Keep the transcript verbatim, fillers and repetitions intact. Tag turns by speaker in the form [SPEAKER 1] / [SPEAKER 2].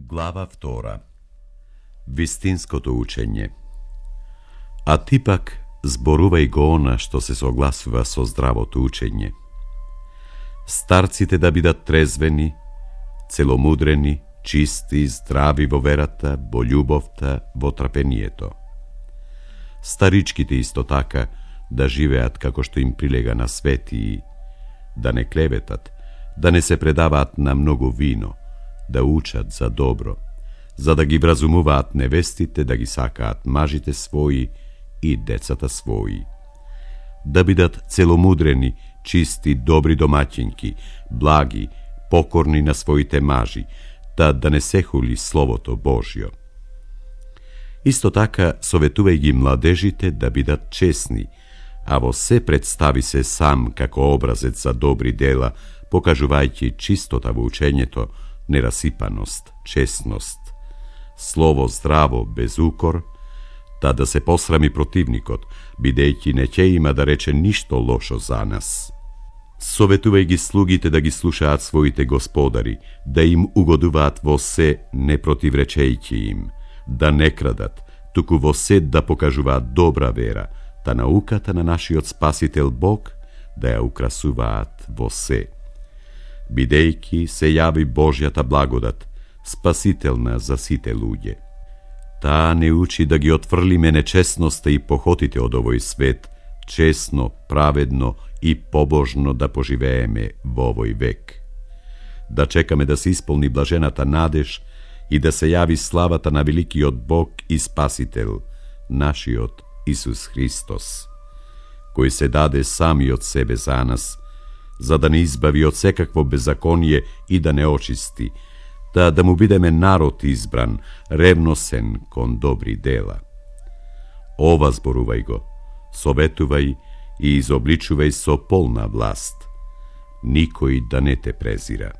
[SPEAKER 1] Глава втора. Вистинското учење. А ти пак зборувај го она што се согласува со здравото учење. Старците да бидат трезвени, целомудрени, чисти, здрави во верата, во љубовта, во трпението. Старичките исто така да живеат како што им прилега на светии, да не клеветат, да не се предаваат на многу вино, да учат за добро, за да ги вразумуваат невестите, да ги сакаат мажите своји и децата своји. Да бидат целомудрени, чисти, добри домаќинки, благи, покорни на своите мажи, та да не се хули Словото Божјо. Исто така советувај ги младежите да бидат честни, а во се представи се сам како образец за добри дела, покажувајќи чистота во учењето, нерасипаност, честност, слово здраво без укор, та да се посрами противникот, бидејќи не ќе има да рече ништо лошо за нас. Советувај ги слугите да ги слушаат своите господари, да им угодуваат во се, не противречејќи им, да не крадат, туку во се да покажуваат добра вера, та науката на нашиот Спасител Бог да ја украсуваат во се. Бидејќи се јави Божјата благодат, спасителна за сите луѓе. Таа не учи да ги отфрлиме нечестноста и похотите од овој свет, честно, праведно и побожно да поживееме во овој век. Да чекаме да се исполни блажената надеж и да се јави славата на великиот Бог и Спасител, нашиот Исус Христос, кој се даде самиот себе за нас, за да не избави од секакво беззаконие и да не очисти, та да му бидеме народ избран, ревносен кон добри дела. Ова зборувај го, советувај и изобличувај со полна власт. Никој да не те презира.